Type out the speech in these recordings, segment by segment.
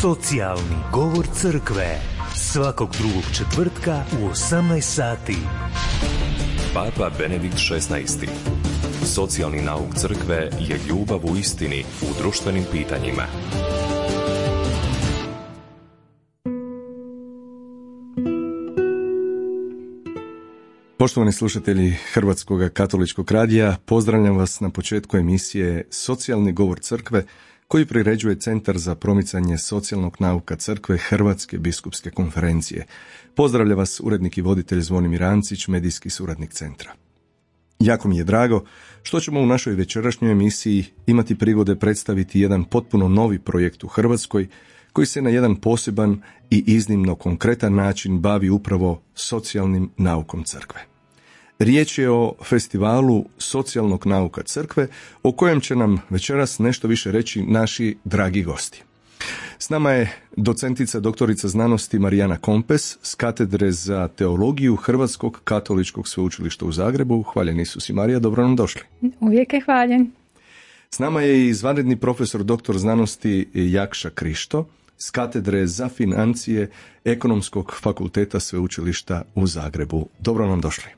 Socijalni govor crkve. Svakog drugog četvrtka u 18 sati. Papa Benedikt XVI. Socijalni nauk crkve je ljubav u istini u društvenim pitanjima. Poštovani slušatelji Hrvatskog katoličkog radija, pozdravljam vas na početku emisije Socijalni govor crkve, koji priređuje Centar za promicanje socijalnog nauka crkve Hrvatske biskupske konferencije. Pozdravlja vas urednik i voditelj Zvonimir Ancić, medijski suradnik centra. Jako mi je drago što ćemo u našoj večerašnjoj emisiji imati prigode predstaviti jedan potpuno novi projekt u Hrvatskoj, koji se na jedan poseban i iznimno konkretan način bavi upravo socijalnim naukom crkve. Riječ je o festivalu socijalnog nauka crkve, o kojem će nam večeras nešto više reći naši dragi gosti. S nama je docentica doktorica znanosti Marijana Kompes s katedre za teologiju Hrvatskog katoličkog sveučilišta u Zagrebu. Hvaljen Isus i Marija, dobro nam došli. Uvijek je hvaljen. S nama je i izvanredni profesor doktor znanosti Jakša Krišto s katedre za financije Ekonomskog fakulteta sveučilišta u Zagrebu. Dobro nam došli.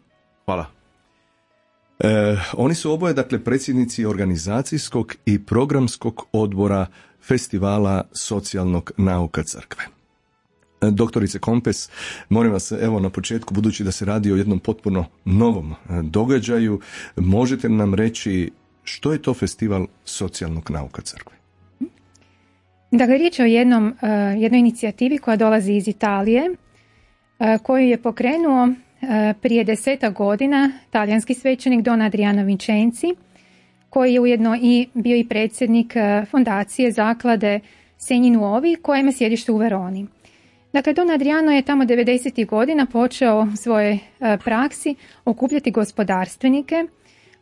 Hvala. Oni su oboje, predsjednici organizacijskog i programskog odbora festivala socijalnog nauka crkve. Doktorice Kompes, molim vas, na početku, budući da se radi o jednom potpuno novom događaju, možete nam reći što je to festival socijalnog nauka crkve? Dakle, riječ je o jednoj inicijativi koja dolazi iz Italije, koju je pokrenuo prije 10 godina talijanski svećenik Don Adriano Vincenzi, koji je ujedno i bio i predsjednik fondacije zaklade Segni Nuovi, koja ima sjedište u Veroni. Dakle, Don Adriano je tamo 90. godina počeo u svojoj praksi okupljati gospodarstvenike,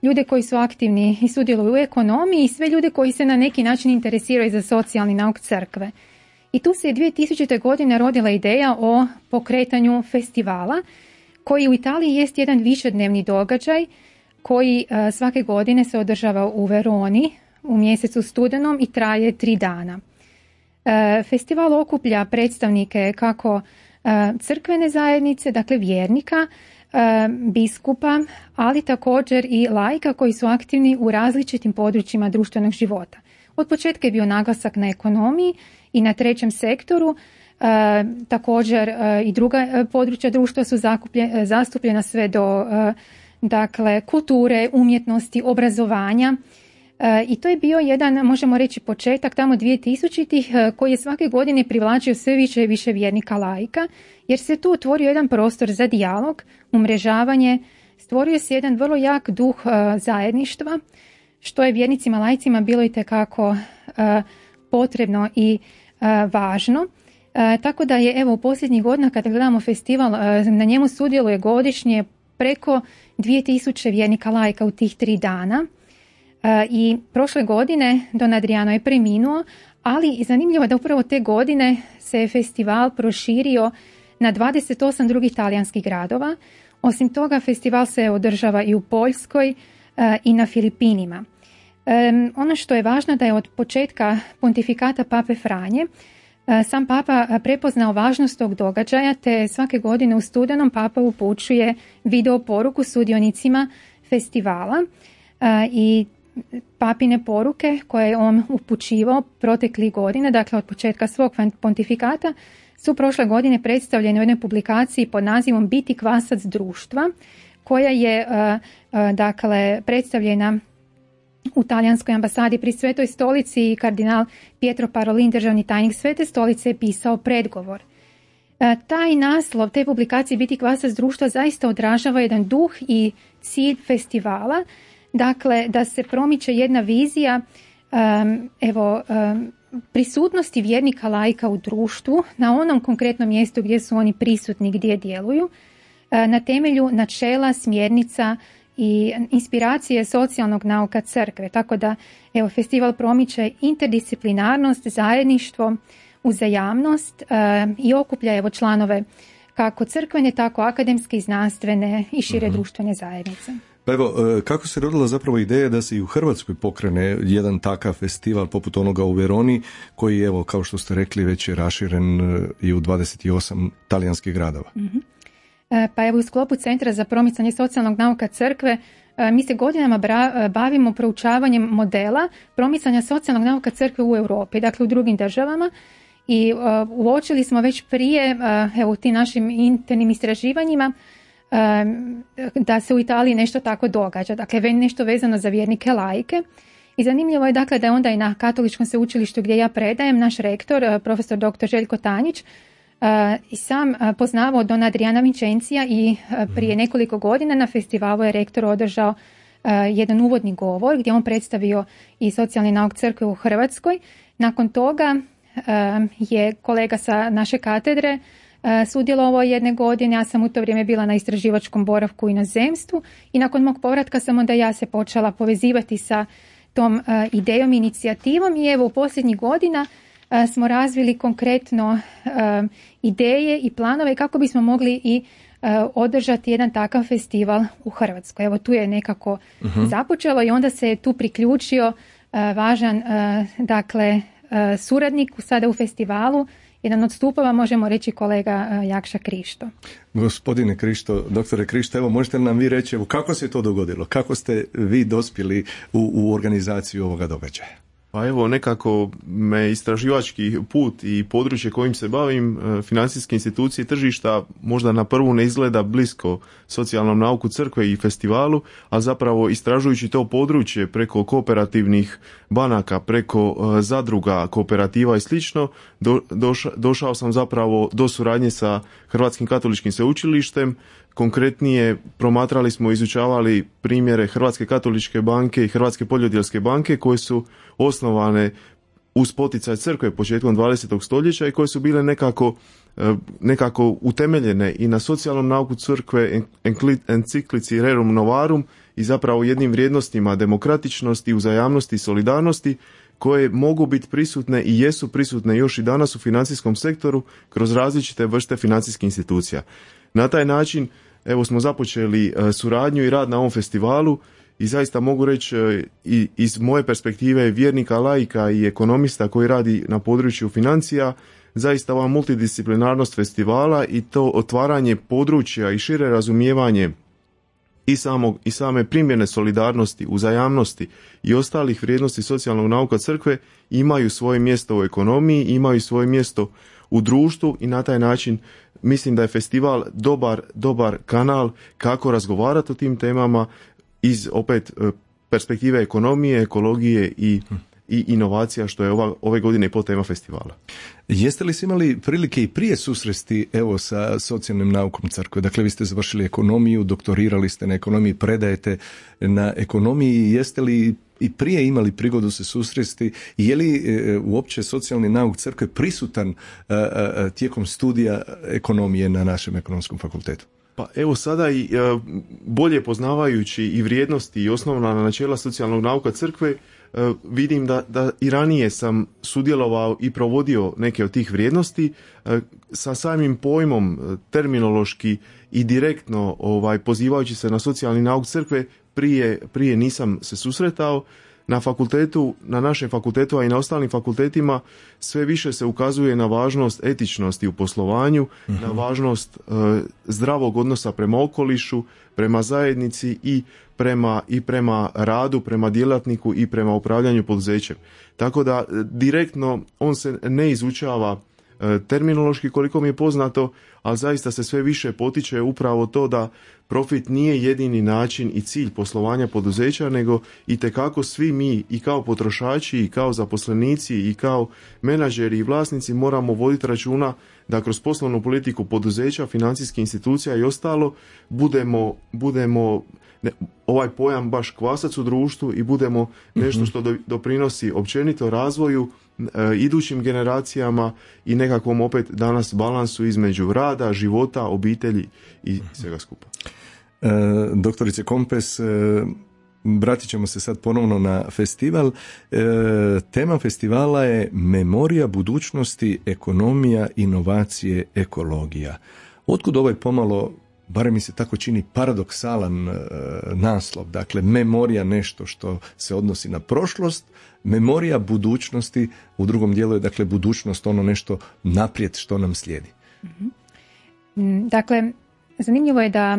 ljude koji su aktivni i sudjeluju u ekonomiji i sve ljude koji se na neki način interesiraju za socijalni nauk crkve. I tu se 2000. godine rodila ideja o pokretanju festivala, koji u Italiji jest jedan višednevni događaj koji svake godine se održava u Veroni u mjesecu studenom i traje 3 dana. Festival okuplja predstavnike kako crkvene zajednice, dakle vjernika, biskupa, ali također i laika koji su aktivni u različitim područjima društvenog života. Od početka je bio naglasak na ekonomiji i na trećem sektoru. Također i druga područja društva su zastupljena sve do kulture, umjetnosti, obrazovanja. I to je bio jedan, možemo reći, početak tamo 2000-ih koji je svake godine privlačio sve više i više vjernika laika, jer se tu otvorio jedan prostor za dijalog, umrežavanje, stvorio se jedan vrlo jak duh zajedništva, što je vjernicima laicima bilo itekako potrebno i važno. Tako da je u posljednjih godina, kada gledamo festival, na njemu sudjeluje godišnje preko 2000 vjernika laika u tih 3 dana. I prošle godine Don Adriano je preminuo, ali i zanimljivo da upravo te godine se je festival proširio na 28 drugih talijanskih gradova. Osim toga, festival se održava i u Poljskoj i na Filipinima. Ono što je važno da je od početka pontifikata Pape Franje sam Papa prepoznao važnost tog događaja, te svake godine u studenom Papa upućuje video poruku sudionicima festivala i papine poruke koje je on upućivao proteklih godina, dakle od početka svog pontifikata, su prošle godine predstavljene u jednoj publikaciji pod nazivom Biti kvasac društva, koja je predstavljena u talijanskoj ambasadi pri Svetoj stolici i kardinal Pietro Parolin, državni tajnik Svete stolice, je pisao predgovor. Taj naslov te publikacije Biti kvasac društva zaista odražava jedan duh i cilj festivala, dakle da se promiče jedna vizija prisutnosti vjernika laika u društvu na onom konkretnom mjestu gdje su oni prisutni, gdje djeluju, na temelju načela, smjernica i inspiracije socijalnog nauka crkve. Tako da festival promiče interdisciplinarnost, zajedništvo, uzajamnost i okuplja članove kako crkvene, tako akademske i znanstvene i šire društvene zajednice. Pa evo, kako se rodila zapravo ideja da se i u Hrvatskoj pokrene jedan takav festival poput onoga u Veroni, koji, evo, kao što ste rekli, već je raširen i u 28 talijanskih gradova? Pa evo, u sklopu Centra za promicanje socijalnog nauka Crkve mi se godinama bavimo proučavanjem modela promicanja socijalnog nauka Crkve u Europi, dakle u drugim državama, i uočili smo već prije, evo, u tim našim internim istraživanjima, da se u Italiji nešto tako događa, dakle nešto vezano za vjernike laike. I zanimljivo je, dakle, da je onda i na Katoličkom sveučilištu gdje ja predajem, naš rektor, profesor dr. Željko Tanjić, i sam poznavao Dona Adriana Vincencija i prije nekoliko godina na festivalu je rektor održao jedan uvodni govor gdje on predstavio i socijalni nauk Crkve u Hrvatskoj. Nakon toga je kolega sa naše katedre sudjelovao jedne godine, ja sam u to vrijeme bila na istraživačkom boravku u inozemstvu i nakon mog povratka sam onda ja se počela povezivati sa tom idejom i inicijativom i evo u posljednjih godina smo razvili konkretno ideje i planove kako bismo mogli i održati jedan takav festival u Hrvatskoj. Evo tu je nekako započelo i onda se je tu priključio važan dakle suradnik sada u festivalu, jedan od stupova, možemo reći, kolega Jakša Krišto. Gospodine Krišto, doktore Krišto, evo možete li nam vi reći, evo, kako se to dogodilo? Kako ste vi dospjeli u organizaciju ovoga događaja? Pa evo, nekako me istraživački put i područje kojim se bavim, financijske institucije i tržišta, možda na prvu ne izgleda blisko socijalnom nauku Crkve i festivalu, a zapravo istražujući to područje preko kooperativnih banaka, preko zadruga, kooperativa i slično, došao sam zapravo do suradnje sa Hrvatskim katoličkim sveučilištem. Konkretnije, promatrali smo i izučavali primjere Hrvatske katoličke banke i Hrvatske poljodjelske banke koje su osnovane uz poticaj Crkve početkom 20. stoljeća i koje su bile nekako utemeljene i na socijalnom nauku Crkve, enciklici Rerum Novarum i zapravo jednim vrijednostima demokratičnosti, uzajamnosti i solidarnosti koje mogu biti prisutne i jesu prisutne još i danas u financijskom sektoru kroz različite vrste financijskih institucija. Na taj način evo smo započeli suradnju i rad na ovom festivalu i zaista mogu reći i iz moje perspektive vjernika, laika i ekonomista koji radi na području financija, zaista ova multidisciplinarnost festivala i to otvaranje područja i šire razumijevanje i same primjene solidarnosti, uzajamnosti i ostalih vrijednosti socijalnog nauka Crkve imaju svoje mjesto u ekonomiji, imaju svoje mjesto u društvu i na taj način mislim da je festival dobar kanal kako razgovarati o tim temama iz opet perspektive ekonomije, ekologije i inovacija, što je ove godine i podtema festivala. Jeste li imali prilike i prije susresti evo sa socijalnim naukom Crkve? Dakle, vi ste završili ekonomiju, doktorirali ste na ekonomiji, predajete na ekonomiji. Jeste li i prije imali prigodu se susresti? Je li uopće socijalni nauk Crkve prisutan tijekom studija ekonomije na našem ekonomskom fakultetu? Pa evo sada i bolje poznavajući i vrijednosti i osnovna načela socijalnog nauka Crkve, vidim da i ranije sam sudjelovao i provodio neke od tih vrijednosti sa samim pojmom terminološki i direktno pozivajući se na socijalni nauk Crkve prije nisam se susretao. Na fakultetu, na našem fakultetu, a i na ostalim fakultetima sve više se ukazuje na važnost etičnosti u poslovanju, na važnost zdravog odnosa prema okolišu, prema zajednici i prema radu, prema djelatniku i prema upravljanju poduzećem. Tako da direktno on se ne izučava terminološki koliko mi je poznato, ali zaista se sve više potiče upravo to da profit nije jedini način i cilj poslovanja poduzeća, nego itekako svi mi i kao potrošači i kao zaposlenici i kao menadžeri i vlasnici moramo voditi računa da kroz poslovnu politiku poduzeća, financijskih institucija i ostalo budemo ovaj pojam baš kvasac u društvu i budemo nešto što doprinosi općenito razvoju, idućim generacijama i nekakvom opet danas balansu između rada, života, obitelji i svega skupa. Doktorice Kompes, vratit ćemo se sad ponovno na festival. Tema festivala je Memorija budućnosti, ekonomija, inovacije, ekologija. Otkud ovaj pomalo barem mi se tako čini, paradoksalan naslov. Dakle, memorija nešto što se odnosi na prošlost, memorija budućnosti, u drugom dijelu je dakle budućnost ono nešto naprijed što nam slijedi. Dakle, zanimljivo je da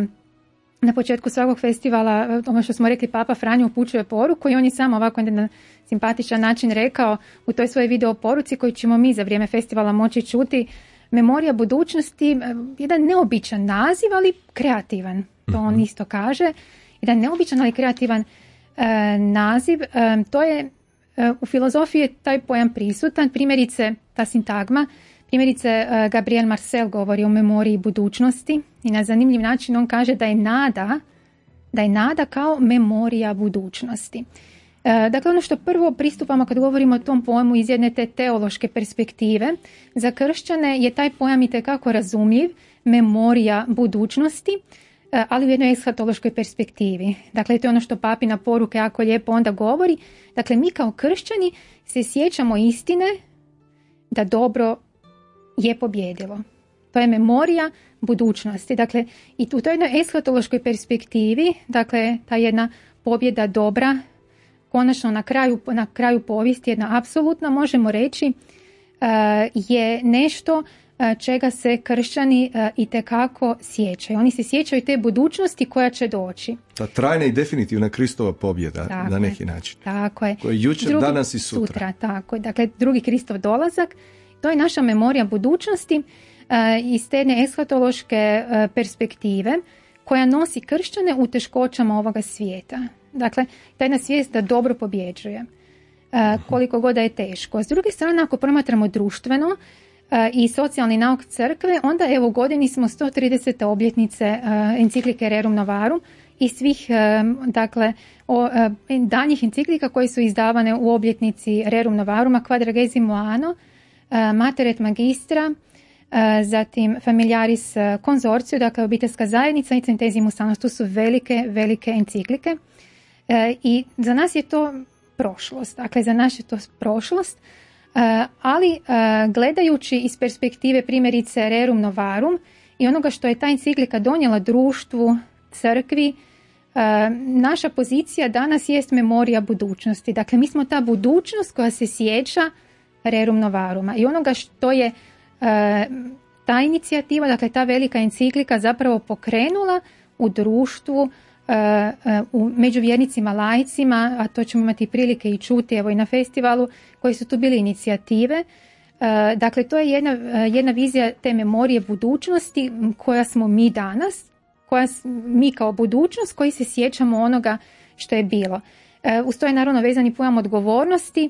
na početku svakog festivala, ono što smo rekli, Papa Franjo upućuje poruku i on je samo ovako na simpatičan način rekao u toj svojoj video poruci koju ćemo mi za vrijeme festivala moći čuti: memorija budućnosti, jedan neobičan naziv, ali kreativan. To on isto kaže. Jedan neobičan, ali kreativan naziv. To je, u filozofiji je taj pojam prisutan. Primjerice, ta sintagma, primjerice Gabriel Marcel govori o memoriji budućnosti i na zanimljiv način on kaže da je nada kao memorija budućnosti. Dakle, ono što prvo pristupamo kad govorimo o tom pojmu iz jedne te teološke perspektive, za kršćane je taj pojam itekako razumljiv, memorija budućnosti, ali u jednoj eshatološkoj perspektivi. Dakle, to je ono što papina poruke jako lijepo onda govori. Dakle, mi kao kršćani se sjećamo istine da dobro je pobjedilo. To je memorija budućnosti. Dakle, i u toj jednoj eshatološkoj perspektivi, dakle, ta jedna pobjeda dobra, konačno na kraju povijesti, jedna apsolutna, možemo reći, je nešto čega se kršćani itekako sjećaju. Oni se sjećaju te budućnosti koja će doći. Ta trajna i definitivna Kristova pobjeda na neki način. Tako je. Koja je jučer, danas i sutra. Tako je. Dakle, drugi Kristov dolazak, to je naša memorija budućnosti iz te jedne eshatološke perspektive koja nosi kršćane u teškoćama ovoga svijeta. Dakle, ta jedna svijest da dobro pobjeđuje, koliko god da je teško. S druge strane, ako promatramo društveno i socijalni nauk crkve, onda evo u godini smo 130. obljetnice enciklike Rerum Novarum i svih danjih enciklika koje su izdavane u obljetnici Rerum Novaruma, Quadragesimo Anno, Mater et Magistra, zatim Familiaris Consortio, dakle obiteljska zajednica i Centesimus Annus. To su velike enciklike. I za nas je to prošlost, dakle za nas je to prošlost, ali gledajući iz perspektive primjerice Rerum Novarum i onoga što je ta enciklika donijela društvu, crkvi, naša pozicija danas jest memorija budućnosti. Dakle, mi smo ta budućnost koja se sjeća Rerum Novaruma i onoga što je ta inicijativa, dakle ta velika enciklika zapravo pokrenula u društvu, među vjernicima, laicima, a to ćemo imati prilike i čuti evo i na festivalu, koji su tu bili inicijative. Dakle, to je jedna vizija te memorije budućnosti koja smo mi danas, mi kao budućnost koji se sjećamo onoga što je bilo. Uz to je naravno vezani pojam odgovornosti,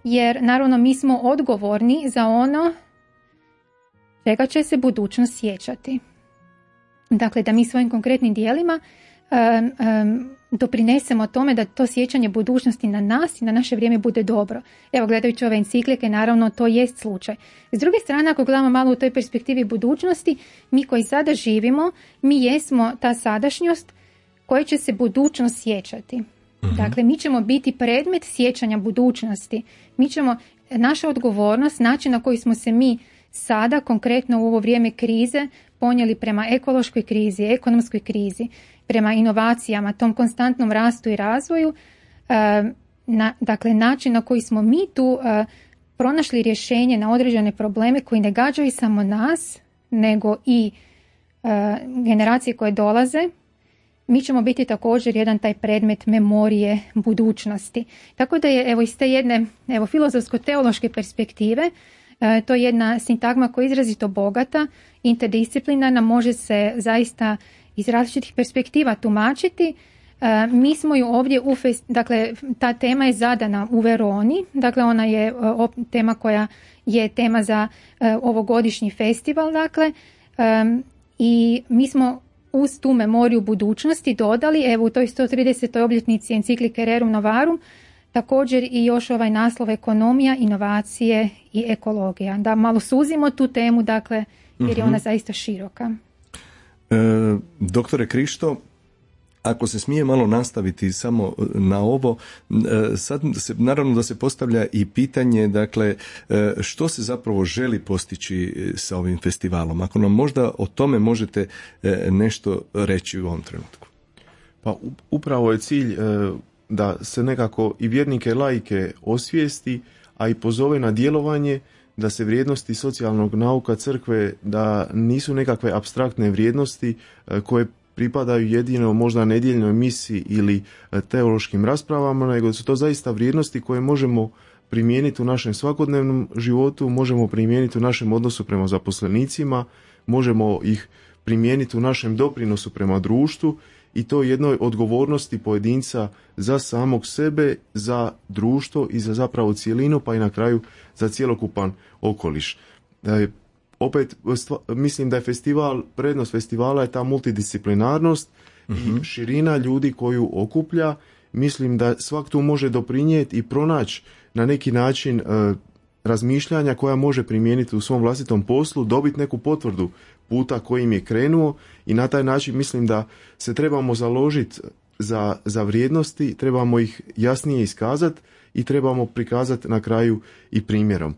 jer naravno mi smo odgovorni za ono čega će se budućnost sjećati. Dakle, da mi svojim konkretnim djelima doprinesemo tome da to sjećanje budućnosti na nas i na naše vrijeme bude dobro. Evo, gledajući ove enciklike, naravno to jest slučaj. S druge strane, ako gledamo malo u toj perspektivi budućnosti, mi koji sada živimo, mi jesmo ta sadašnjost koja će se budućnost sjećati. Dakle, mi ćemo biti predmet sjećanja budućnosti. Naša odgovornost, način na koji smo se mi sada, konkretno u ovo vrijeme krize, ponijeli prema ekološkoj krizi, ekonomskoj krizi, prema inovacijama, tom konstantnom rastu i razvoju, dakle način na koji smo mi tu pronašli rješenje na određene probleme koji ne gađaju samo nas, nego i generacije koje dolaze, mi ćemo biti također jedan taj predmet memorije budućnosti. Tako da je evo iz te jedne filozofsko-teološke perspektive to je jedna sintagma koja je izrazito bogata, interdisciplinarna, može se zaista iz različitih perspektiva tumačiti. Mi smo ju ovdje, dakle ta tema je zadana u Veroni, dakle ona je tema koja je tema za ovogodišnji festival, dakle, i mi smo uz tu memoriju budućnosti dodali, evo u toj 130. obljetnici enciklike Rerum Novarum, također i još ovaj naslov ekonomija, inovacije i ekologija. Da malo suzimo tu temu, dakle, jer je ona zaista široka. Doktore Krišto, Ako se smije malo nastaviti samo na ovo, sad naravno da se postavlja i pitanje, dakle, što se zapravo želi postići sa ovim festivalom? Ako nam možda o tome možete nešto reći u ovom trenutku. Pa upravo je cilj da se nekako i vjernike i laike osvijesti, a i pozove na djelovanje, da se vrijednosti socijalnog nauka crkve, da nisu nekakve apstraktne vrijednosti koje pripadaju jedino možda nedjeljnoj misi ili teološkim raspravama, nego su to zaista vrijednosti koje možemo primijeniti u našem svakodnevnom životu, možemo primijeniti u našem odnosu prema zaposlenicima, možemo ih primijeniti u našem doprinosu prema društvu i to jednoj odgovornosti pojedinca za samog sebe, za društvo i za zapravo cijelinu, pa i na kraju za cjelokupan okoliš. Opet mislim da je prednost festivala je ta multidisciplinarnost i širina ljudi koju okuplja. Mislim da svak tu može doprinijeti i pronaći na neki način razmišljanja koja može primijeniti u svom vlastitom poslu, dobiti neku potvrdu puta kojim je krenuo i na taj način mislim da se trebamo založiti za vrijednosti, trebamo ih jasnije iskazati i trebamo prikazati na kraju i primjerom.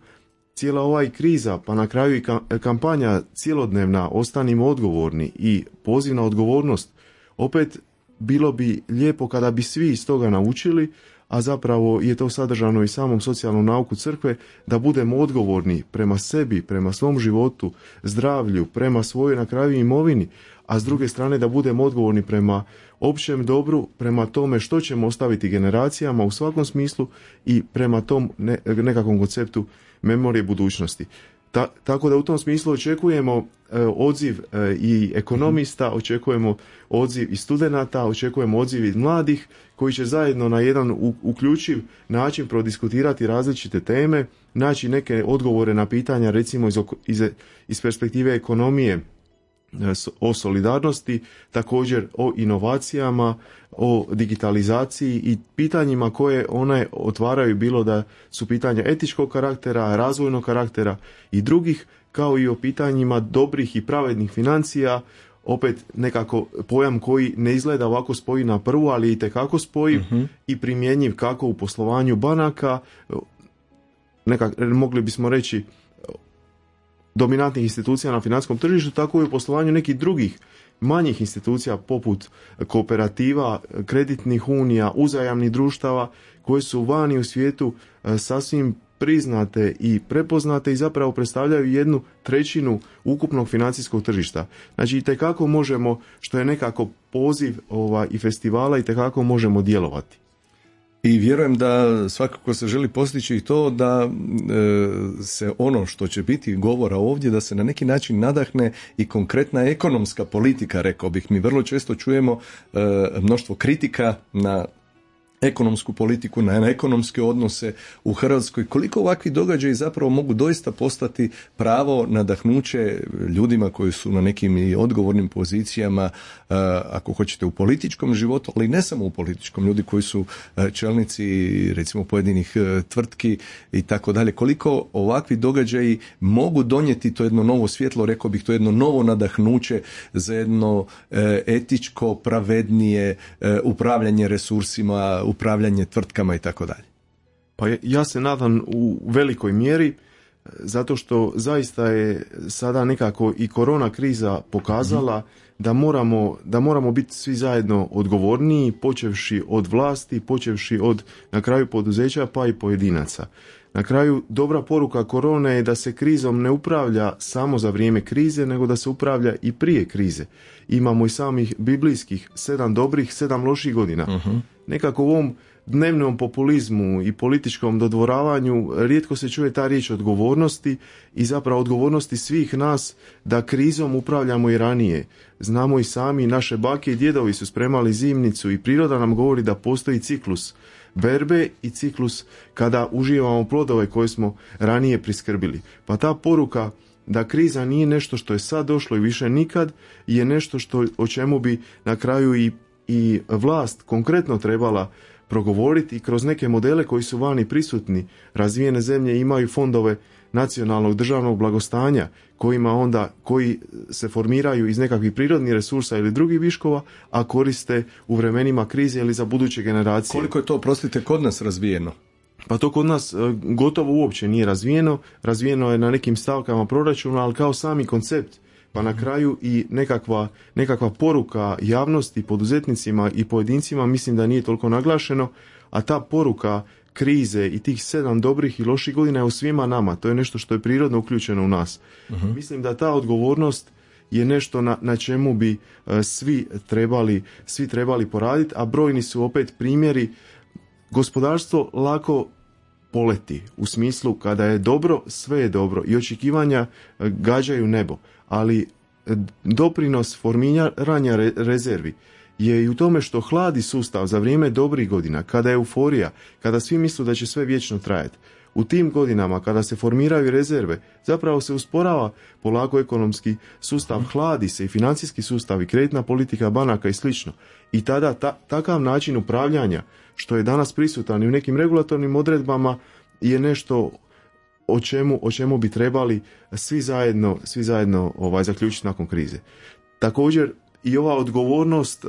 Cijela ova kriza, pa na kraju i kampanja cjelodnevna Ostanimo odgovorni i poziv na odgovornost, opet bilo bi lijepo kada bi svi iz toga naučili, a zapravo je to sadržano i samom socijalnom nauku crkve, da budemo odgovorni prema sebi, prema svom životu, zdravlju, prema svojoj na kraju imovini, a s druge strane da budemo odgovorni prema općem dobru, prema tome što ćemo ostaviti generacijama u svakom smislu i prema tom nekakvom konceptu memorije budućnosti. Tako da u tom smislu očekujemo odziv i ekonomista, očekujemo odziv i studenata, očekujemo odziv i mladih koji će zajedno na jedan uključiv način prodiskutirati različite teme, naći neke odgovore na pitanja recimo iz perspektive ekonomije, o solidarnosti, također o inovacijama, o digitalizaciji i pitanjima koje one otvaraju, bilo da su pitanja etičkog karaktera, razvojnog karaktera i drugih, kao i o pitanjima dobrih i pravednih financija, opet nekako pojam koji ne izgleda ovako spoji na prvu, ali itekako spoji i primjenjiv kako u poslovanju banaka, mogli bismo reći dominantnih institucija na financijskom tržištu, tako i u poslovanju nekih drugih manjih institucija poput kooperativa, kreditnih unija, uzajamnih društava koje su vani u svijetu sasvim priznate i prepoznate i zapravo predstavljaju 1/3 ukupnog financijskog tržišta. Znači itekako možemo, što je nekako poziv i festivala, itekako možemo djelovati. I vjerujem da svakako se želi postići i to da se ono što će biti govora ovdje, da se na neki način nadahne i konkretna ekonomska politika, rekao bih. Mi vrlo često čujemo mnoštvo kritika na ekonomsku politiku, na ekonomske odnose u Hrvatskoj. Koliko ovakvi događaji zapravo mogu doista postati pravo nadahnuće ljudima koji su na nekim i odgovornim pozicijama, ako hoćete u političkom životu, ali ne samo u političkom, ljudi koji su čelnici recimo pojedinih tvrtki i tako dalje. Koliko ovakvi događaji mogu donijeti to jedno novo svjetlo, rekao bih to jedno novo nadahnuće za jedno etičko, pravednije upravljanje resursima, upravljanje tvrtkama i tako dalje. Pa ja se nadam u velikoj mjeri, zato što zaista je sada nekako i korona kriza pokazala da moramo biti svi zajedno odgovorniji, počevši od vlasti, počevši od na kraju poduzeća pa i pojedinaca. Na kraju dobra poruka korone je da se krizom ne upravlja samo za vrijeme krize, nego da se upravlja i prije krize. Imamo i samih biblijskih 7 dobrih, 7 loših godina. Nekako u ovom dnevnom populizmu i političkom dodvoravanju rijetko se čuje ta riječ odgovornosti i zapravo odgovornosti svih nas da krizom upravljamo i ranije. Znamo i sami, naše bake i djedovi su spremali zimnicu i priroda nam govori da postoji ciklus berbe i ciklus kada uživamo plodove koje smo ranije priskrbili. Pa ta poruka da kriza nije nešto što je sad došlo i više nikad, je nešto o čemu bi na kraju i vlast konkretno trebala progovoriti i kroz neke modele koji su vani prisutni. Razvijene zemlje imaju fondove nacionalnog državnog blagostanja koji se formiraju iz nekakvih prirodnih resursa ili drugih viškova, a koriste u vremenima krize ili za buduće generacije. Koliko je to, prostite, kod nas razvijeno? Pa to kod nas gotovo uopće nije razvijeno. Razvijeno je na nekim stavkama proračuna, ali kao sami koncept. Pa na kraju i nekakva poruka javnosti, poduzetnicima i pojedincima mislim da nije toliko naglašeno, a ta poruka krize i tih 7 dobrih i loših godina je u svima nama. To je nešto što je prirodno uključeno u nas. Mislim da ta odgovornost je nešto na čemu bi svi trebali poraditi, a brojni su opet primjeri. Gospodarstvo lako poleti, u smislu kada je dobro, sve je dobro i očekivanja gađaju nebo, ali doprinos formiranja rezervi je i u tome što hladi sustav za vrijeme dobrih godina, kada je euforija, kada svi misle da će sve vječno trajati. U tim godinama kada se formiraju rezerve, zapravo se usporava polako ekonomski sustav, hladi se i financijski sustav i kreditna politika banaka i slično. I tada takav način upravljanja, što je danas prisutan i u nekim regulatornim odredbama, je nešto o čemu bi trebali svi zajedno zaključiti nakon krize. Također i ova odgovornost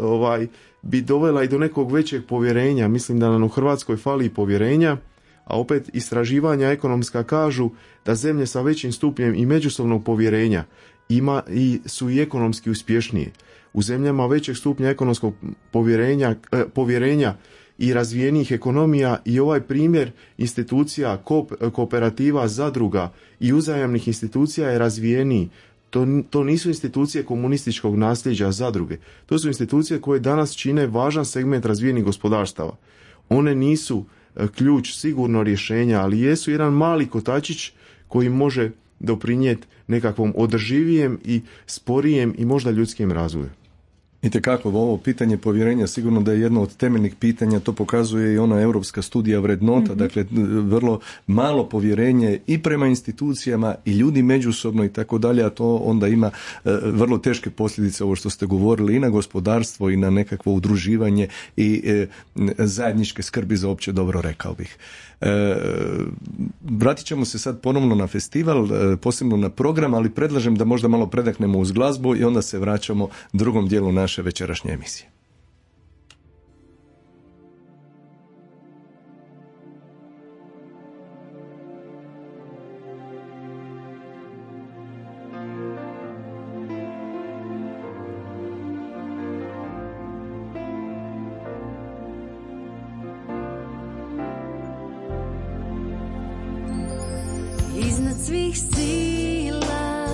bi dovela i do nekog većeg povjerenja. Mislim da nam u Hrvatskoj fali povjerenja, a opet istraživanja ekonomska kažu da zemlje sa većim stupnjem i međusobnog povjerenja su i ekonomski uspješnije. U zemljama većeg stupnja ekonomskog povjerenja i razvijenijih ekonomija i ovaj primjer institucija, kooperativa, zadruga i uzajamnih institucija je razvijeniji. To nisu institucije komunističkog nasljeđa zadruge. To su institucije koje danas čine važan segment razvijenih gospodarstava. One nisu ključ, sigurno rješenja, ali jesu jedan mali kotačić koji može doprinijeti nekakvom održivijem i sporijem i možda ljudskim razvoju. Itekako, ovo pitanje povjerenja sigurno da je jedno od temeljnih pitanja, to pokazuje i ona europska studija vrednota, dakle vrlo malo povjerenje i prema institucijama i ljudi međusobno i tako dalje, a to onda ima vrlo teške posljedice, ovo što ste govorili, i na gospodarstvo i na nekakvo udruživanje i zajedničke skrbi za opće dobro, rekao bih. Vratit ćemo se sad ponovno na festival, posebno na program, ali predlažem da možda malo predaknemo uz glazbu i onda se vraćamo drugom dijelu naše večerašnje emisije. Iznad svih sila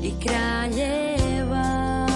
i kraljeva,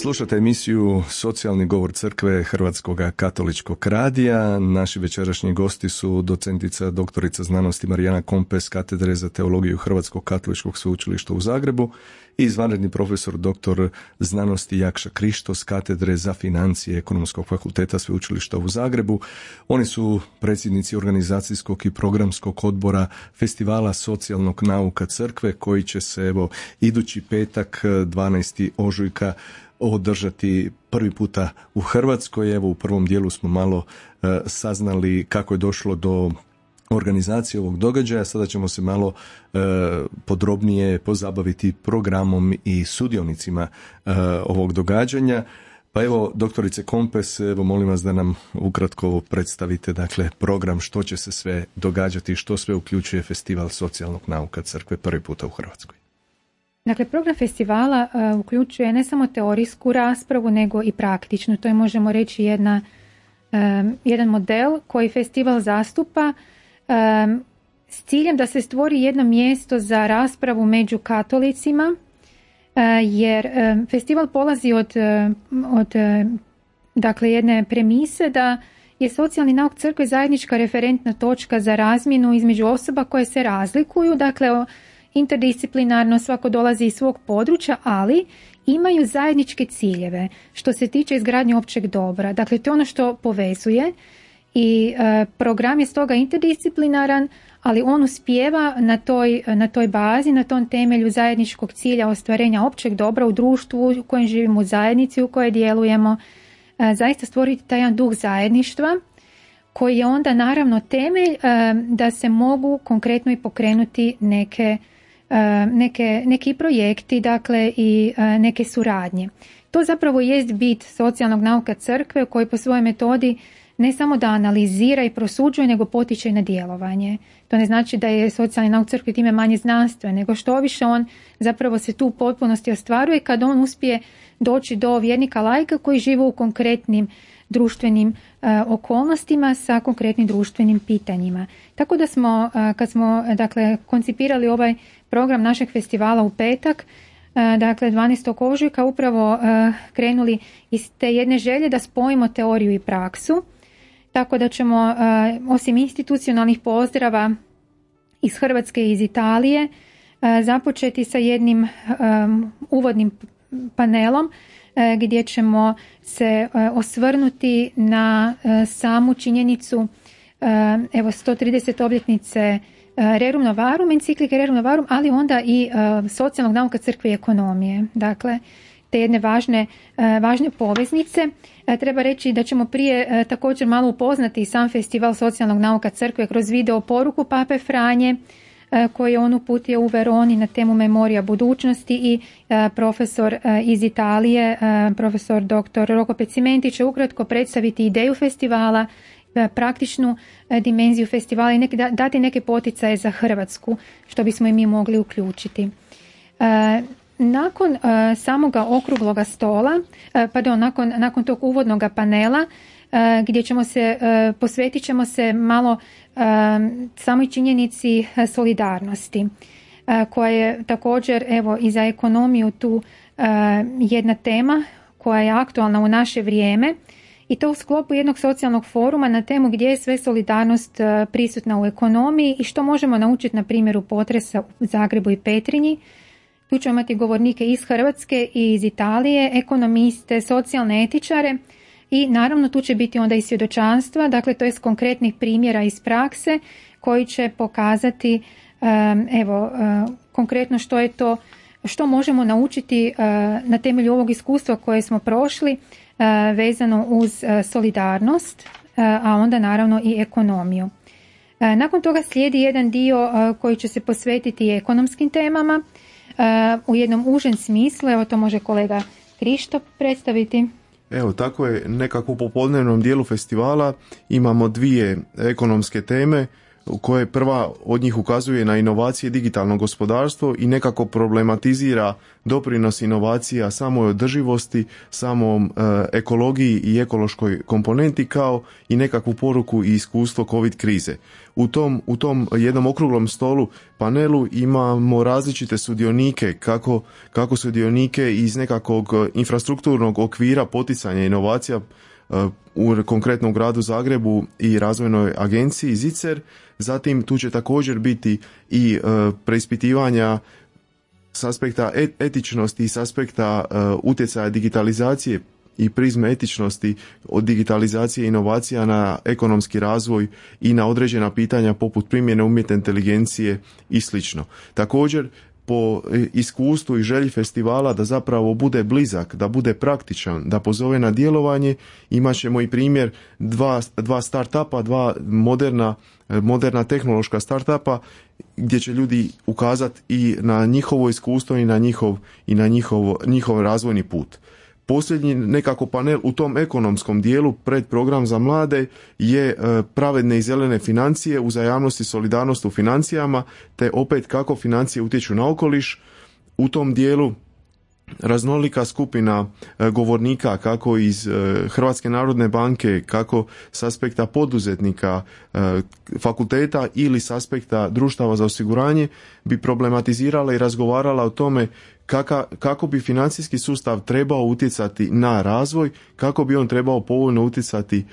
Slušate emisiju Socijalni govor crkve Hrvatskog katoličkog radija. Naši večerašnji gosti su docentica doktorica znanosti Marijana Kompes, katedre za teologiju Hrvatskog katoličkog sveučilišta u Zagrebu i izvanredni profesor doktor znanosti Jakša Krištos, katedre za financije Ekonomskog fakulteta sveučilišta u Zagrebu. Oni su predsjednici organizacijskog i programskog odbora Festivala socijalnog nauka crkve koji će se idući petak 12. ožujka održati prvi puta u Hrvatskoj. U prvom dijelu smo malo saznali kako je došlo do organizacije ovog događaja. Sada ćemo se malo podrobnije pozabaviti programom i sudionicima ovog događanja. Pa doktorice Kompes, molim vas da nam ukratko predstavite program, što će se sve događati, što sve uključuje Festival socijalnog nauka crkve prvi puta u Hrvatskoj. Program festivala uključuje ne samo teorijsku raspravu, nego i praktičnu. To je, možemo reći, jedan model koji festival zastupa s ciljem da se stvori jedno mjesto za raspravu među katolicima, jer festival polazi od jedne premise da je socijalni nauk crkve zajednička referentna točka za razmjenu između osoba koje se razlikuju, interdisciplinarno, svako dolazi iz svog područja, ali imaju zajedničke ciljeve što se tiče izgradnje općeg dobra. To je ono što povezuje i program je stoga interdisciplinaran, ali on uspijeva na toj bazi, na tom temelju zajedničkog cilja ostvarenja općeg dobra u društvu u kojem živimo, u zajednici u kojoj djelujemo, zaista stvoriti taj jedan duh zajedništva koji je onda naravno temelj da se mogu konkretno i pokrenuti neki projekti, i neke suradnje. To zapravo jest bit socijalnog nauka crkve koji po svojoj metodi ne samo da analizira i prosuđuje, nego potiče na djelovanje. To ne znači da je socijalni nauk crkve time manje znanstven, nego što više on zapravo se tu u potpunosti ostvaruje kad on uspije doći do vjernika laika koji žive u konkretnim društvenim okolnostima sa konkretnim društvenim pitanjima. Tako da smo, kad smo koncipirali ovaj program našeg festivala u petak, 12. ožujka, upravo krenuli iz te jedne želje da spojimo teoriju i praksu, tako da ćemo osim institucionalnih pozdrava iz Hrvatske i iz Italije započeti sa jednim uvodnim panelom gdje ćemo se osvrnuti na samu činjenicu 130 obljetnice Rerum Novarum, enciklike Rerum Novarum, ali onda i socijalnog nauka crkve i ekonomije. Te jedne važne poveznice. Treba reći da ćemo prije također malo upoznati sam festival socijalnog nauka crkve kroz video poruku Pape Franje koji je on uputio u Veroni na temu Memorija budućnosti i profesor iz Italije, profesor dr. Rocco Pezzimenti će ukratko predstaviti ideju festivala, praktičnu dimenziju festivala i dati neke poticaje za Hrvatsku što bismo i mi mogli uključiti. Nakon samoga okrugloga stola, nakon tog uvodnog panela gdje posvetit ćemo se malo samoj činjenici solidarnosti koja je također i za ekonomiju tu jedna tema koja je aktualna u naše vrijeme i to u sklopu jednog socijalnog foruma na temu gdje je sve solidarnost prisutna u ekonomiji i što možemo naučiti na primjeru potresa u Zagrebu i Petrinji. Tu ćemo imati govornike iz Hrvatske i iz Italije, ekonomiste, socijalne etičare i naravno tu će biti onda i svjedočanstva, to je s konkretnih primjera iz prakse koji će pokazati konkretno što je to, što možemo naučiti na temelju ovog iskustva koje smo prošli vezano uz solidarnost, a onda naravno i ekonomiju. Nakon toga slijedi jedan dio koji će se posvetiti ekonomskim temama u jednom užem smislu, to može kolega Krišto predstaviti. Tako je, nekako u popodnevnom dijelu festivala imamo dvije ekonomske teme. koje prva od njih ukazuje na inovacije i digitalno gospodarstvo i nekako problematizira doprinos inovacija samoj održivosti, samom ekologiji i ekološkoj komponenti kao i nekakvu poruku i iskustvo COVID krize. U tom jednom okruglom stolu panelu imamo različite sudionike, kako sudionike iz nekakvog infrastrukturnog okvira poticanja inovacija u konkretnom gradu Zagrebu i razvojnoj agenciji ZICER. Zatim tu će također biti i preispitivanja s aspekta etičnosti i s aspekta utjecaja digitalizacije i prizme etičnosti od digitalizacije inovacija na ekonomski razvoj i na određena pitanja poput primjene umjetne inteligencije i slično. Također, po iskustvu i želji festivala da zapravo bude blizak, da bude praktičan, da pozove na djelovanje, imat ćemo i primjer dva start-upa, dva moderna tehnološka start-upa gdje će ljudi ukazati i na njihovo iskustvo i na njihov razvojni put. Posljednji nekako panel u tom ekonomskom dijelu pred program za mlade je pravedne i zelene financije, uzajamnost i solidarnost u financijama, te opet kako financije utječu na okoliš. U tom dijelu raznolika skupina govornika, kako iz Hrvatske narodne banke, kako s aspekta poduzetnika, fakulteta ili s aspekta društava za osiguranje, bi problematizirala i razgovarala o tome kako bi financijski sustav trebao utjecati na razvoj, kako bi on trebao povoljno utjecati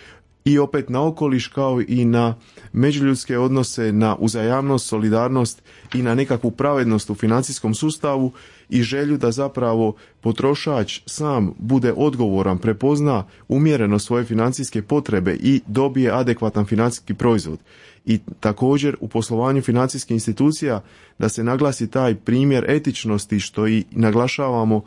i opet na okoliš, kao i na međuljudske odnose, na uzajamnost, solidarnost i na nekakvu pravednost u financijskom sustavu i želju da zapravo potrošač sam bude odgovoran, prepozna umjereno svoje financijske potrebe i dobije adekvatan financijski proizvod. I također u poslovanju financijskih institucija da se naglasi taj primjer etičnosti, što i naglašavamo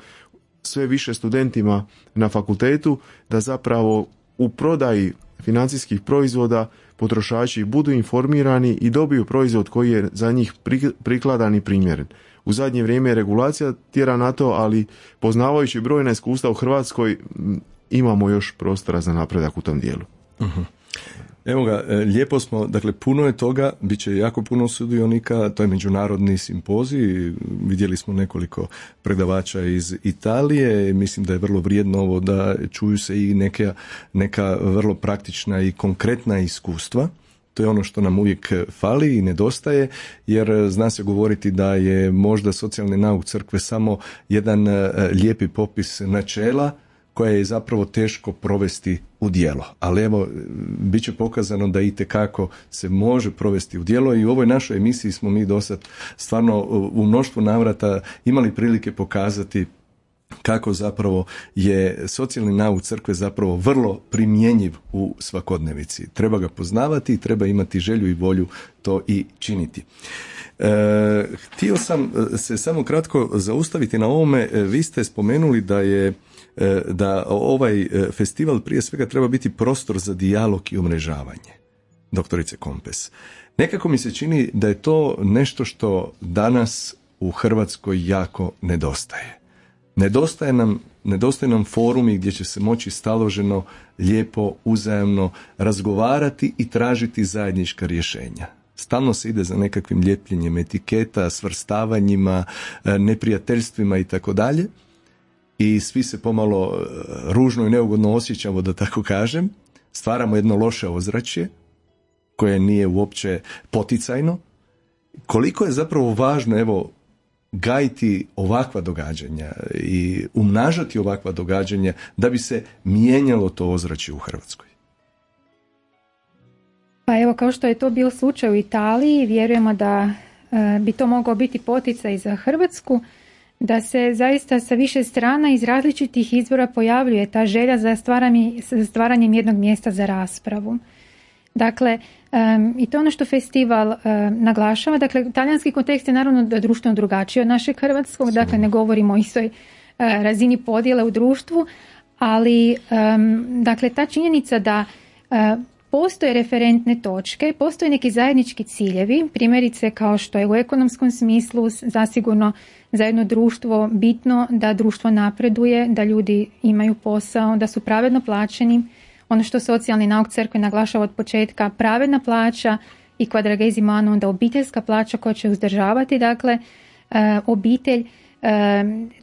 sve više studentima na fakultetu, da zapravo u prodaji financijskih proizvoda potrošači budu informirani i dobiju proizvod koji je za njih prikladan i primjeren. U zadnje vrijeme regulacija tjera na to, ali poznavajući brojna iskustva u Hrvatskoj imamo još prostora za napredak u tom dijelu. Uh-huh. Evo ga, lijepo smo, dakle puno je toga, bit će jako puno sudionika, to je međunarodni simpozij, vidjeli smo nekoliko predavača iz Italije, mislim da je vrlo vrijedno ovo da čuju se i neka vrlo praktična i konkretna iskustva. To je ono što nam uvijek fali i nedostaje, jer zna se govoriti da je možda socijalni nauk crkve samo jedan lijepi popis načela koje je zapravo teško provesti u djelo. Ali evo, bit će pokazano da itekako se može provesti u djelo i u ovoj našoj emisiji smo mi dosad stvarno u mnoštvu navrata imali prilike pokazati kako zapravo je socijalni nauk crkve zapravo vrlo primjenjiv u svakodnevici. Treba ga poznavati i treba imati želju i volju to i činiti. Htio sam se samo kratko zaustaviti na ovome. Vi ste spomenuli da ovaj festival prije svega treba biti prostor za dijalog i umrežavanje. Doktorice Kompes, nekako mi se čini da je to nešto što danas u Hrvatskoj jako nedostaje. Nedostaje nam forumi gdje će se moći staloženo, lijepo, uzajamno razgovarati i tražiti zajednička rješenja. Stalno se ide za nekakvim ljepljenjem etiketa, svrstavanjima, neprijateljstvima i tako dalje. I svi se pomalo ružno i neugodno osjećamo, da tako kažem. Stvaramo jedno loše ozračje koje nije uopće poticajno. Koliko je zapravo važno, evo, gajiti ovakva događanja i umnažati ovakva događanja da bi se mijenjalo to ozračje u Hrvatskoj? Pa evo, kao što je to bio slučaj u Italiji, vjerujemo da bi to mogao biti poticaj za Hrvatsku, da se zaista sa više strana iz različitih izvora pojavljuje ta želja za stvaranjem jednog mjesta za raspravu. Dakle, i to je ono što festival naglašava. Dakle, talijanski kontekst je naravno društveno drugačiji od našeg hrvatskog, dakle ne govorimo o istoj razini podjele u društvu, ali dakle ta činjenica da postoje referentne točke, postoje neki zajednički ciljevi, primjerice kao što je u ekonomskom smislu zasigurno za jedno društvo bitno da društvo napreduje, da ljudi imaju posao, da su pravedno plaćeni. Ono što socijalni nauk crkve naglašava od početka, pravedna plaća i quadragesimo, onda obiteljska plaća koja će uzdržavati, dakle, obitelj.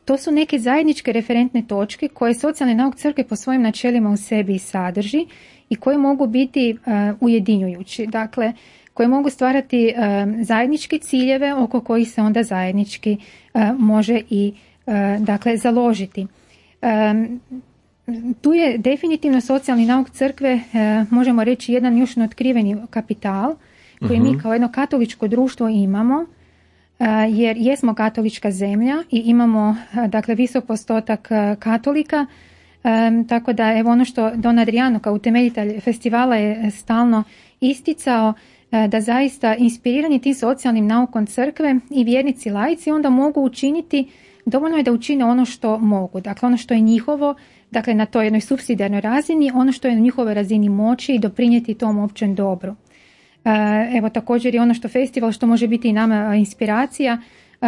To su neke zajedničke referentne točke koje socijalne nauke crkve po svojim načelima u sebi sadrži i koje mogu biti ujedinjujući, dakle, koje mogu stvarati zajedničke ciljeve oko kojih se onda zajednički može i dakle založiti. Tu je definitivno socijalni nauk crkve, možemo reći, jedan još neotkriveni kapital koji mi kao jedno katoličko društvo imamo, jer jesmo katolička zemlja i imamo, dakle, visok postotak katolika, tako da evo ono što Don Adriano kao utemeljitelj festivala je stalno isticao, da zaista inspirirani tim socijalnim naukom crkve i vjernici laici onda mogu učiniti, dovoljno je da učine ono što mogu, dakle ono što je njihovo, dakle na toj jednoj supsidijarnoj razini, ono što je na njihovoj razini moći i doprinijeti tom općem dobru. Evo također je ono što festival, što može biti i nama inspiracija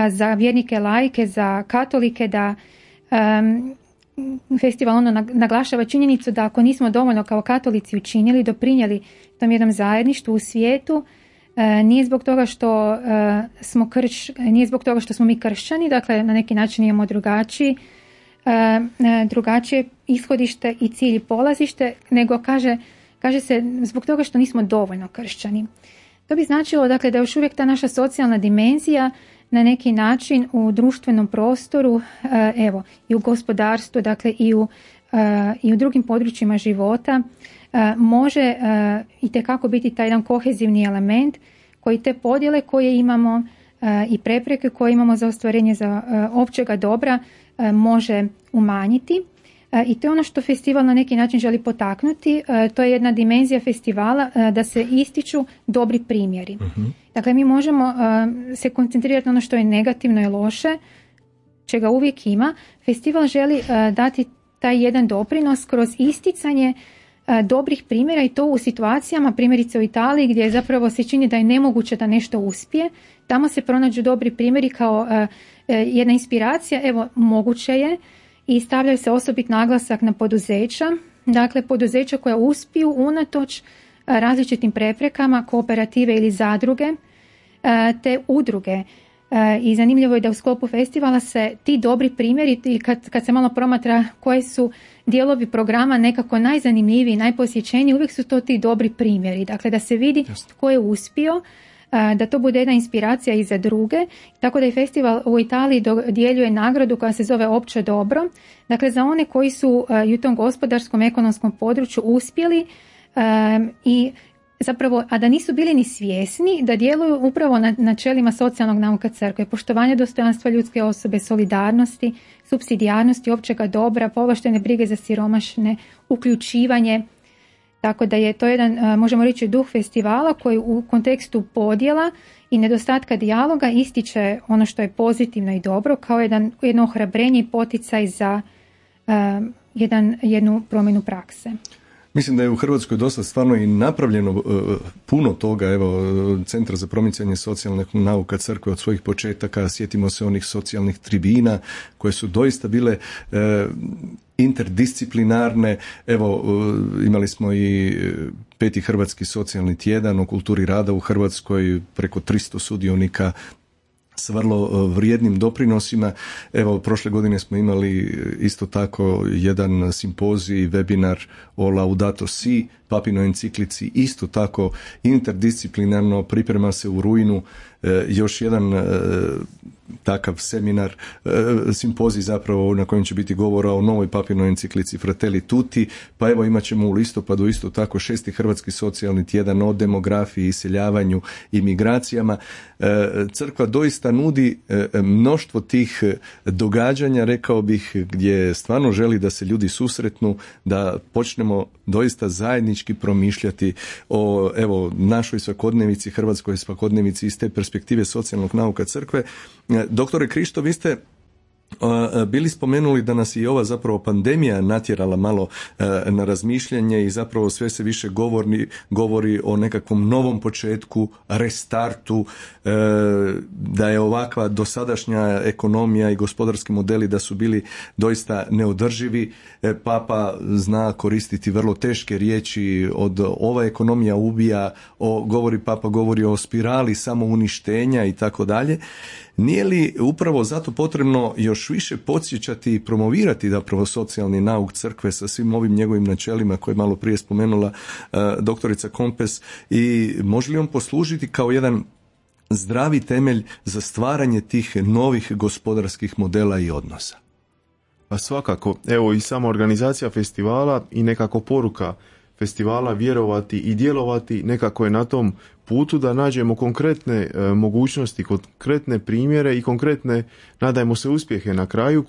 za vjernike laike, za katolike, da festival ono naglašava činjenicu da ako nismo dovoljno kao katolici učinili, doprinijeli tom jednom zajedništvu u svijetu, nije zbog toga što nije zbog toga što smo mi kršćani, dakle na neki način imamo drugačije ishodište i cilj i polazište, nego kaže se zbog toga što nismo dovoljno kršćani. To bi značilo, dakle, da još uvijek ta naša socijalna dimenzija na neki način u društvenom prostoru, evo, i u gospodarstvu, dakle i u drugim područjima života može itekako biti taj jedan kohezivni element koji te podjele koje imamo i prepreke koje imamo za ostvarenje za općega dobra može umanjiti. I to je ono što festival na neki način želi potaknuti. To je jedna dimenzija festivala, da se ističu dobri primjeri. Dakle, mi možemo se koncentrirati na ono što je negativno i loše, čega uvijek ima. Festival želi dati taj jedan doprinos kroz isticanje dobrih primjera i to u situacijama, primjerice u Italiji, gdje zapravo se čini da je nemoguće da nešto uspije. Tamo se pronađu dobri primjeri kao jedna inspiracija, evo, moguće je, i stavljaju se osobit naglasak na poduzeća, dakle poduzeća koja uspiju unatoč različitim preprekama, kooperative ili zadruge, te udruge. I zanimljivo je da u sklopu festivala se ti dobri primjeri, i kad se malo promatra koji su dijelovi programa nekako najzanimljiviji, najposjećeniji, uvijek su to ti dobri primjeri. Dakle, da se vidi tko je uspio, da to bude jedna inspiracija i za druge, tako da i festival u Italiji dodjeljuje nagradu koja se zove Opće dobro, dakle za one koji su i u tom gospodarskom, ekonomskom području uspjeli i zapravo, a da nisu bili ni svjesni da djeluju upravo na načelima socijalnog nauka crkve, poštovanje dostojanstva ljudske osobe, solidarnosti, supsidijarnosti, općega dobra, povlaštene brige za siromašne, uključivanje. Tako da je to jedan, možemo reći, duh festivala koji u kontekstu podjela i nedostatka dijaloga ističe ono što je pozitivno i dobro kao jedno ohrabrenje i poticaj za jednu promjenu prakse. Mislim da je u Hrvatskoj dosta stvarno i napravljeno puno toga, evo, Centar za promicanje socijalnih nauka crkve od svojih početaka, sjetimo se onih socijalnih tribina koje su doista bile interdisciplinarne, evo, imali smo i 5. Hrvatski socijalni tjedan o kulturi rada u Hrvatskoj, preko 300 sudionika s vrlo vrijednim doprinosima. Evo, prošle godine smo imali isto tako jedan simpozij, webinar o Laudato Si, papinoj enciklici, isto tako interdisciplinarno, priprema se u rujnu još jedan takav seminar, simpozij zapravo na kojem će biti govora o novoj papinoj enciklici Fratelli Tutti, pa evo imat ćemo u listopadu isto tako 6. Hrvatski socijalni tjedan o demografiji, iseljavanju i migracijama. Crkva doista nudi mnoštvo tih događanja, rekao bih, gdje stvarno želi da se ljudi susretnu, da počnemo doista zajednički promišljati o, evo, našoj svakodnevici, hrvatskoj svakodnevici iz te perspektive socijalnog nauka crkve. Doktore Krišto, vi ste bili spomenuli da nas i ova zapravo pandemija natjerala malo na razmišljanje i zapravo sve se više govori o nekakvom novom početku, restartu, da je ovakva dosadašnja ekonomija i gospodarski modeli da su bili doista neodrživi. Papa zna koristiti vrlo teške riječi od ova ekonomija ubija, Papa govori o spirali samouništenja i tako dalje. Nije li upravo zato potrebno još više podsjećati i promovirati zapravo socijalni nauk crkve sa svim ovim njegovim načelima koje je malo prije spomenula doktorica Kompes, i može li on poslužiti kao jedan zdravi temelj za stvaranje tih novih gospodarskih modela i odnosa? Pa svakako, evo i sama organizacija festivala i nekako poruka festivala vjerovati i djelovati nekako je na tom putu da nađemo konkretne mogućnosti, konkretne primjere i konkretne, nadajmo se, uspjehe na kraju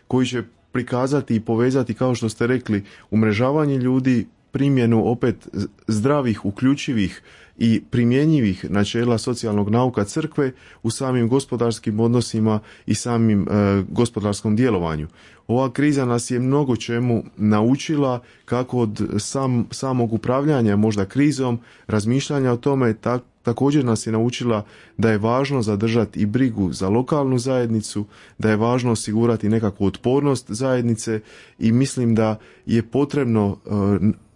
koji će prikazati i povezati, kao što ste rekli, umrežavanje ljudi, primjenu opet zdravih, uključivih i primjenjivih načela socijalnog nauka crkve u samim gospodarskim odnosima i samim gospodarskom djelovanju. Ova kriza nas je mnogo čemu naučila, kako od samog upravljanja možda krizom, razmišljanja o tome, također nas je naučila da je važno zadržati i brigu za lokalnu zajednicu, da je važno osigurati nekakvu otpornost zajednice, i mislim da je potrebno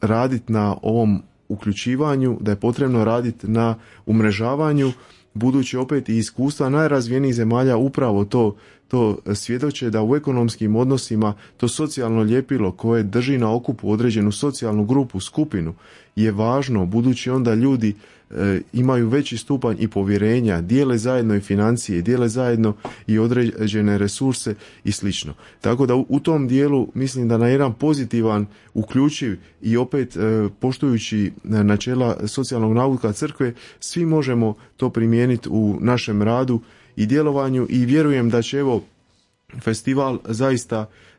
raditi na ovom uključivanju, da je potrebno raditi na umrežavanju, budući opet i iskustva najrazvijenijih zemalja upravo to svjedoče, da u ekonomskim odnosima to socijalno ljepilo koje drži na okupu određenu socijalnu grupu, skupinu, je važno, budući onda ljudi imaju veći stupanj i povjerenja, dijele zajedno i financije, dijele zajedno i određene resurse i slično. Tako da u tom dijelu mislim da na jedan pozitivan, uključiv i opet poštujući načela socijalnog nauka crkve, svi možemo to primijeniti u našem radu i djelovanju, i vjerujem da će evo festival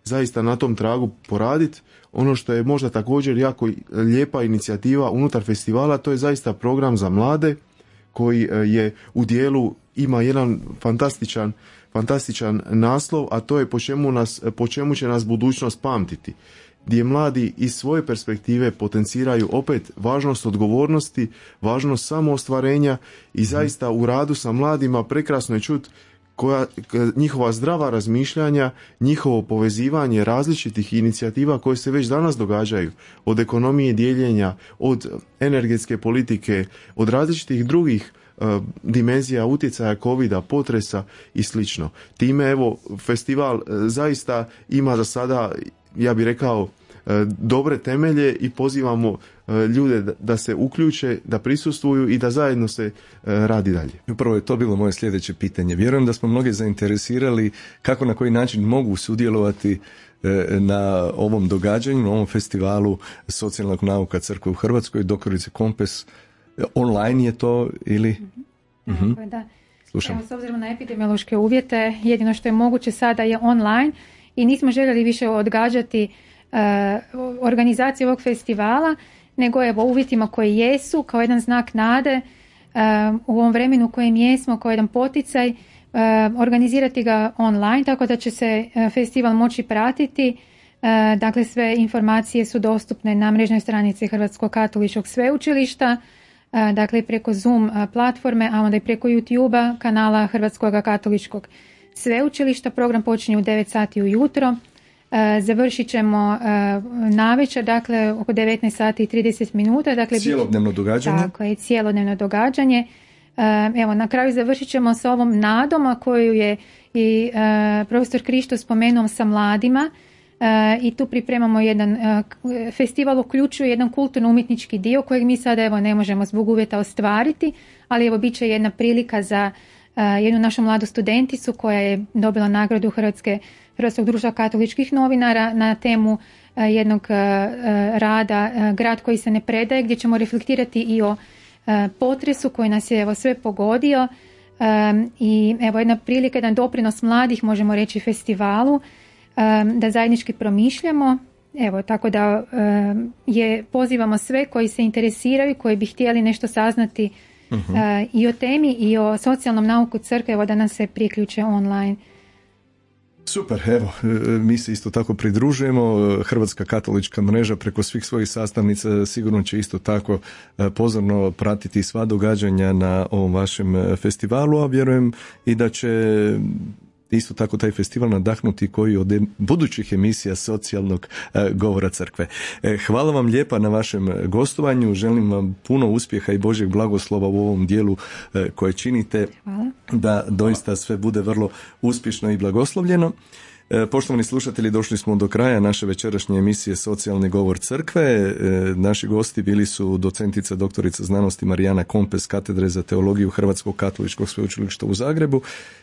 zaista na tom tragu poraditi. Ono što je možda također jako lijepa inicijativa unutar festivala, to je zaista program za mlade koji je u dijelu, ima jedan fantastičan naslov, a to je po čemu će nas budućnost pamtiti, gdje mladi iz svoje perspektive potenciraju opet važnost odgovornosti, važnost samoostvarenja, i zaista u radu sa mladima prekrasno je čuti njihova zdrava razmišljanja, njihovo povezivanje različitih inicijativa koje se već danas događaju, od ekonomije dijeljenja, od energetske politike, od različitih drugih dimenzija utjecaja covida, potresa i slično. Time evo festival zaista ima za sada, ja bih rekao, dobre temelje, i pozivamo ljude da se uključe, da prisustvuju i da zajedno se radi dalje. Upravo je to bilo moje sljedeće pitanje. Vjerujem da smo mnoge zainteresirali kako, na koji način mogu sudjelovati na ovom događanju, na ovom festivalu socijalnog nauka crkve u Hrvatskoj. Doktorice Kompes, online je to ili? Da. Slušam. Evo, s obzirom na epidemiološke uvjete, jedino što je moguće sada je online, i nismo željeli više odgađati organizaciju ovog festivala, nego evo uvjetima koji jesu, kao jedan znak nade u ovom vremenu u kojem jesmo, kao jedan poticaj, organizirati ga online, tako da će se festival moći pratiti. Dakle, sve informacije su dostupne na mrežnoj stranici Hrvatskog katoličkog sveučilišta, dakle preko Zoom platforme, a onda i preko YouTube-a kanala Hrvatskog katoličkog sveučilišta. Program počinje u 9 sati ujutro. Završit ćemo navečer, dakle oko 19 sati i 30 minuta. Dakle, cijelodnevno događanje. Tako je, cijelodnevno događanje. Evo, na kraju završit ćemo sa ovom nadom, a koju je i profesor Krišto spomenuo, sa mladima. I tu pripremamo jedan festival, uključuje jedan kulturno-umjetnički dio kojeg mi sada evo ne možemo zbog uvjeta ostvariti, ali evo bit će jedna prilika za jednu našu mladu studenticu koja je dobila nagradu Hrvatskog društva katoličkih novinara na temu jednog rada Grad koji se ne predaje, gdje ćemo reflektirati i o potresu koji nas je evo sve pogodio, i evo jedna prilika, jedan doprinos mladih, možemo reći, festivalu, da zajednički promišljamo. Evo, tako da pozivamo sve koji se interesiraju, koji bi htjeli nešto saznati i o temi i o socijalnom nauku crkve, evo da nam se priključe online. Super, evo, mi se isto tako pridružujemo. Hrvatska katolička mreža preko svih svojih sastavnica sigurno će isto tako pozorno pratiti sva događanja na ovom vašem festivalu, a vjerujem i da će isto tako taj festival nadahnuti koji od budućih emisija socijalnog govora crkve. Hvala vam lijepa na vašem gostovanju, želim vam puno uspjeha i Božjeg blagoslova u ovom dijelu koje činite. Hvala. Da doista sve bude vrlo uspješno i blagoslovljeno. Poštovani slušatelji, došli smo do kraja naše večerašnje emisije Socijalni govor crkve. Naši gosti bili su docentica doktorica znanosti Marijana Kompes, katedre za teologiju Hrvatskog katoličkog sveučilišta u Zagrebu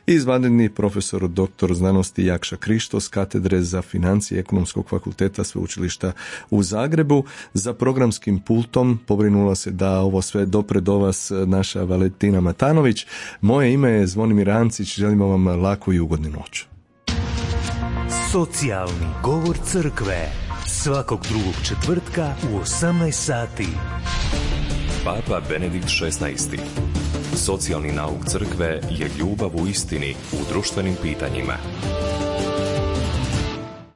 i izvanredni profesor doktor znanosti Jakša Krištos, katedre za financije Ekonomskog fakulteta sveučilišta u Zagrebu. Za programskim pultom pobrinula se da ovo sve dopre do vas naša Valentina Matanović. Moje ime je Zvonimir Ancić, želimo vam laku i ugodnu noć. Socijalni govor crkve svakog drugog četvrtka u 18 sati. Papa Benedikt XVI. Socijalni nauk crkve je ljubav u istini u društvenim pitanjima.